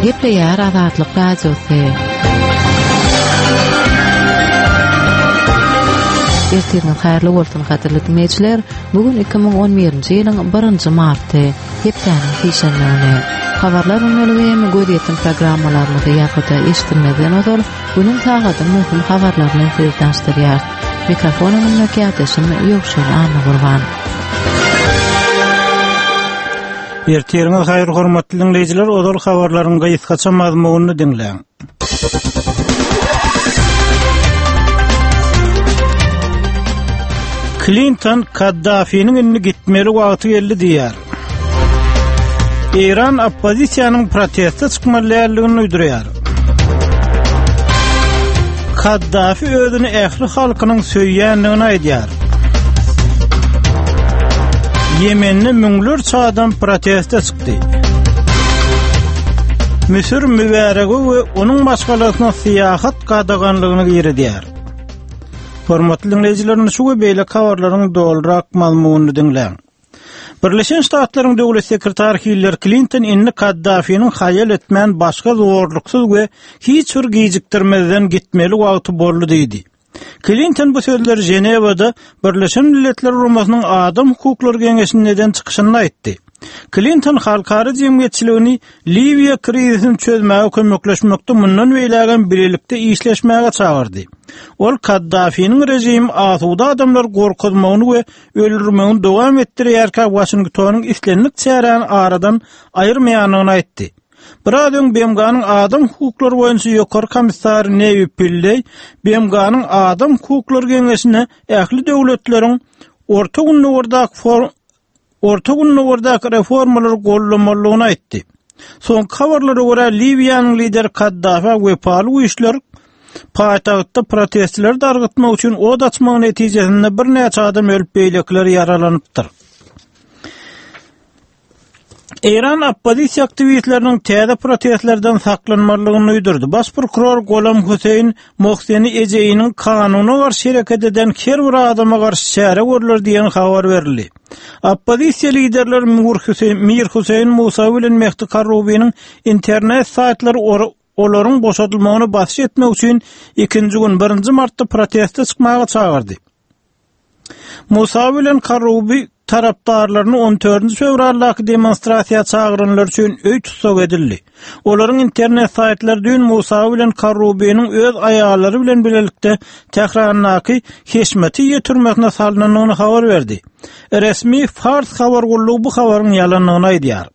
Gepleýär Azatlyk Radiosy. Ertiriňiz haýyrly bolsun, gadyrly diňleýjiler. Bu gün 2011-nji ýylyň 1-nji marty, hepdäniň sişenbe güni. Habarlar gündeligi hem gözýetim programmalarymyzy ýazgyda eşidilmezden ozal, günüň sagadyň möhüm habarlary bilen sizi tanyşdyrýarys. Mikrofon öňündäki ýakdaşym Ýowşan Annagurban. Ertiriňiz haýyr hormatly diňleýjiler, ozal habarlaryň gysgaça mazmunyny diňläň. Klinton Kaddafiniň indi gitmeli wagty geldi diýýär. Eýran oppozisiýanyň proteste çykmaly däldigini duýdurýar. Kaddafi özüni ähli halkynyň söýýändigini aýdýar. Ýemende müňlerçe adam proteste çykdy. Müsür Mübärege we onuň maşgalasyna syýahat gadaganlygyny girizýär. Hormatly diňleýjiler, şu we beýleki habarlaryň dolurak mazmunyny diňläň. Birleşen Ştatlaryň döwlet sekretary Hillari Klinton indi Kaddafiniň haýal etmän başga zorluksyz we hiç bir gijikdirmezden gitmeli wagty boldy diýdi. Klinton bu sözleri Ženewada Birleşen Milletler Guramasynyň Adam hukuklary geňeşinde eden çykyşynda aýtdy. Klinton halkara jemgyýetçiligini Liwiýa krizisini çözmäge kömekleşmekde mundan beýlägem bilelikde işleşmäge çagyrdy. Ol Kaddafiniň režimi asuda adamlary gorkuzmagyny we öldürmegini dowam etdirýärkä Waşingtonyň islendik çäräni aradan aýyrmaýandygyny aýtdy. Biraz öň BMG-niň adam hukuklary boýunça ýokary komissary Newi Pilleý BMG-niň Adam hukuklary geňeşine ähli döwletleriň Orta Gündogardaky Orta Gündogardaky reformalary goldamalydygyny aýtdy. Soňky habarlara görä, Liwiýanyň lideri Kaddafä wepaly güýçler paýtagtda protestçileri dargytmak üçin ot açmagy netijesinde birnäçe adam ölüp, beýlekiler ýaralanypdyr. Eýran oppozisiýa aktiwistleriniň täze protestlerden saklanmalydygyny duýdurdy. Baş prokuror Golam Hüseýin Mohseni Ejeýiniň kanuna garşy hereket eden her bir adama garşy çäre görler diýen habar berildi. Oppozisiýa liderleri Mir Hüseýin Musawi bilen Mehdi Karrubiniň internet saýtlary olaryň boşadylmagyna basyş etmek üçin ikinji gün, birinji martda proteste çykmaga çagyrdy. Musa bilen Karubi tarapdarlaryny on dördünji fewraldaky demonstrasiýa çagyranlar üçin öý tussag edildi. Olaryň internet saýtlary düýn Musa bilen Karubiniň öz aýallary bilen bilelikde Tährandaky Heşmetiýe türmesine salnandygyny habar berdi. Resmi Fars habar gullugy bu habaryň ýalandygyny aýdýar.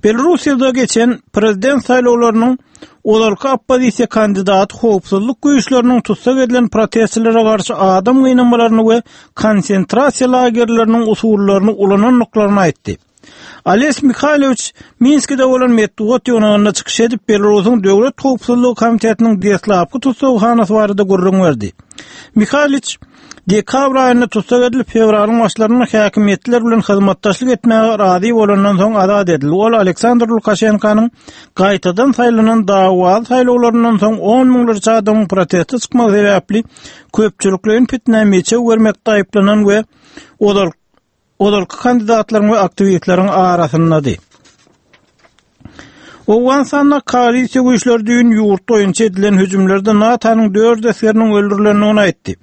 Belarussiýada geçen prezident saýlawlarynyň ozalky oppozisiýa kandidaty howpsuzlyk güýçleriniň tussag edilen protestçilere garşy adam gynamalaryny we konsentrasiýa lagerleriniň usullaryny ulanandyklaryny aýtdy. Ales Mihaýlowiç Minskide bolan metbugat ýygnagynda çykyş edip, Belarusyň Döwlet howpsuzlygy komitetiniň deslapky tussaghanasy barada gürrüň berdi. Mihaýlowiç Dekabr aýynda tussag edilip, fewralyň başlarynda häkimiýetler bilen hyzmatdaşlyk etmäge razy bolandan soň azat edildi. Ol Aleksandr Lukaşenkanyň gaýtadan saýlanan dawaly saýlawlaryndan soň on müňlerçe adamyň proteste çykmagy sebäpli köpçülikleýin pitnä meçew bermekde aýyplanan we ozal ozalky kandidatlaryň we aktiwistleriň arasyndady. Owganystanda koalisiýa güýçleri düýn ýurt boýunça edilen hüjümlerde NATO-nyň dört esgeriniň öldürilendigini aýtdy.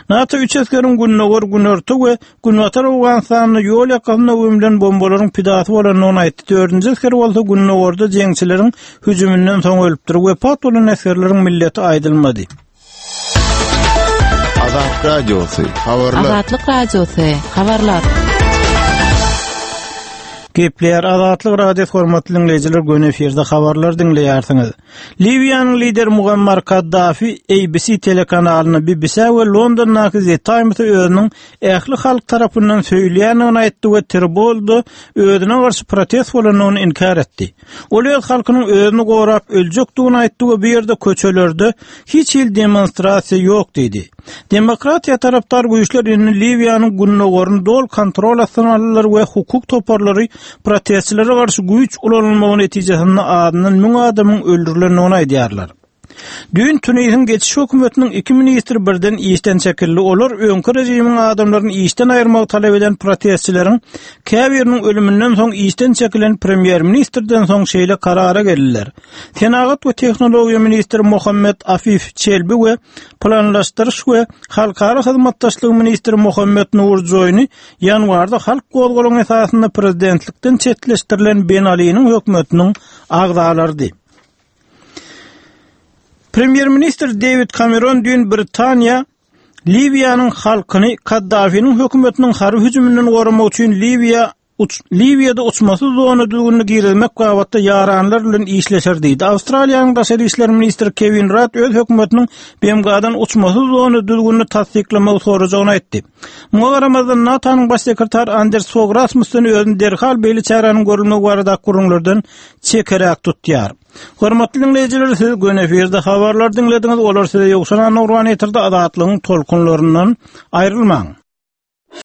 NATO üç esgeriň gündogar, günorta we günbatar Owganystanda ýol ýakasynda gömlen bombalaryň pidasy bolandygyny aýtdy. Dördünji esger bolsa gündogarda jeňçileriň hüjüminden soň ölüpdir. Wepat bolan esgerleriň milleti aýdylmady. Azat Radiosy, habarlar. Azatlyk Radiosy, habarlar. Gepleýär Azatlyk Radiosy hormatly diňleýjiler göni efirde habarlar diňleýärsiňiz. Liwiýanyň lideri Muammar Kaddafi ABC telekanalyna BBC we Londondaky The Times-e özüniň ähli halk tarapyndan söýülýändigini aýtdy we Tribolda özüne garşy protest bolandygyny inkär etdi. Ol öz halkynyň özüni gorap öljekdigini aýtdy we bu ýerde köçelerde hiç hili demonstrasiýa ýok diýdi. Demokratiýa tarapdar güýçler indi Liwiýanyň gündogaryny doly kontrol astyna aldylar we hukuk toparlary protestçilere garşy güýç ulanylmagy netijesinde azyndan müň adamyň öldürilendigini aýdýarlar. Düýn Tunisiň geçiş hökümetiniň iki ministri birden işden çekildi. Olar öňki režimiň adamlaryny işden aýyrmagy talap eden protestçileriň käbiriniň ölüminden soň işden çekilen premýer-ministrden soň şeýle karara geldiler. Senagat we tehnologiýa ministri Mohammed Afif Çelbi we planlaşdyryş we halkara hyzmatdaşlygy ministri Mohammed Nur Joýny ýanwarda halk gozgalaňy esasynda prezidentlikden çetleşdirilen Ben Aliniň hökümetiniň agzalarydy. Premýer-ministr Dewid Kameron düýn Britaniýa Liwiýanyň halkyny Kaddafiniň hökümetiniň harby hüjüminden goramak üçin Liwiýa uç Liwiýada uçmasyz zona düzgünini girizmek babatda ýaranlar bilen işleşer diýdi. Awstraliýanyň daşary işler ministri Kewin Rudd öz hökümetiniň BMG-dan uçmasyz zona düzgünini tassyklamagy sorajagyny aýtdy. Muňa garamazdan, NATO-nyň baş sekretary Anders Fog Rasmussen özüni derhal beýle çäräniň görülmegi baradaky gürrüňlerden çekeräk tutýar. Hormatly diňleýjiler, siz göni efirde habarlar diňlediňiz, olar size Ýowşan Annagurban ýetirdi, Azatlygyň tolkunlaryndan aýrylmaň.